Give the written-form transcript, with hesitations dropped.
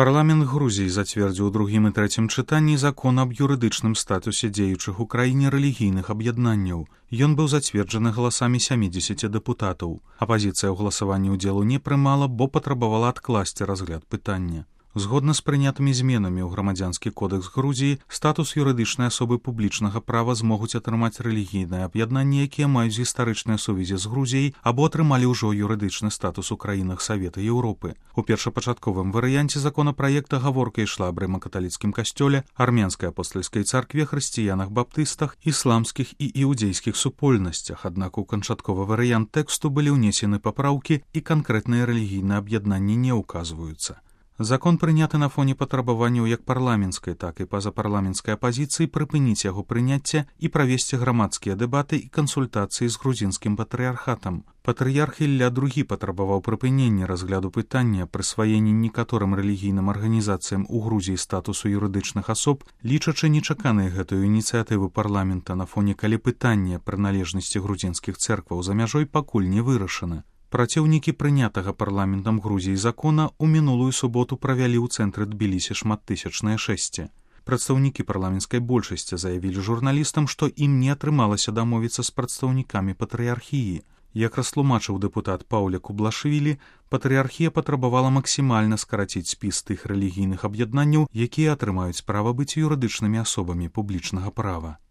Парламент Грузіі зацвердзіў у другім і трэцім чытанні закон аб юрыдычным статусе дзеючых у краіне рэлігійных аб'яднанняў. Ён быў зацверджаны галасамі 70 дэпутатаў. Апазіцыя ў галасаванні ўдзелу не прымала, бо патрабавала адкласці разгляд пытання. Згодна з прынятымі зменамі ў грамадзянскі кодэкс Грузіі, статус юрыдычнай асобы публічнага права змогуць атрымаць рэлігійныя аб'яднанні, якія маюць гістарычныя сувязі з Грузіяй або атрымалі ўжо юрыдычны статус у краінах Савета Еўропы. У першапачатковым варыянце законапраекта гаворка ішла аб рыма-каталіцкім касцёле, армянскай апостальскай царкве, хрысціянах-баптыстах, ісламскіх і іудзейскіх супольнасцях, аднак у канчатковы варыянт тэксту былі ўнесены папраўкі і канкрэтныя рэлігійныя аб'яднанні не ўказваюцца. Закон прыняты на фоне патрабаванняў як парламенцкай, так і пазапарламенцкай апазіцыі прыпыніць яго прыняцце і правесці грамадскія дэбаты і кансультацыі з грузінскім патрыярхатам. Патрыярх Ілля II патрабаваў прыпынення разгляду пытання прысваення некаторым рэлігійным арганізацыям у Грузіі статусу юрыдычных асоб, лічачы нечаканай гэтую ініцыятыву парламента на фоне, калі пытанне прыналежнасці грузінскіх цэркваў за мяжой пакуль не вырашана. Праціўнікі прынятага парламентам Грузіі закона ў минулую суботу правялі ў цэнтры Тбілісі шматтысячнае шэсце. Прадстаўнікі парламенцкай большасці заявілі журналістам, што ім не атрымалася дамовіцца з прадстаўнікамі патрыярхіі. Як растлумачыў дэпутат Паўля Кублашвілі, патрыярхія патрабавала максімальна скараціць спіс тых рэлігійных аб'яднанняў, якія атрымаюць права быць юрыдычнымі асобамі публічнага права.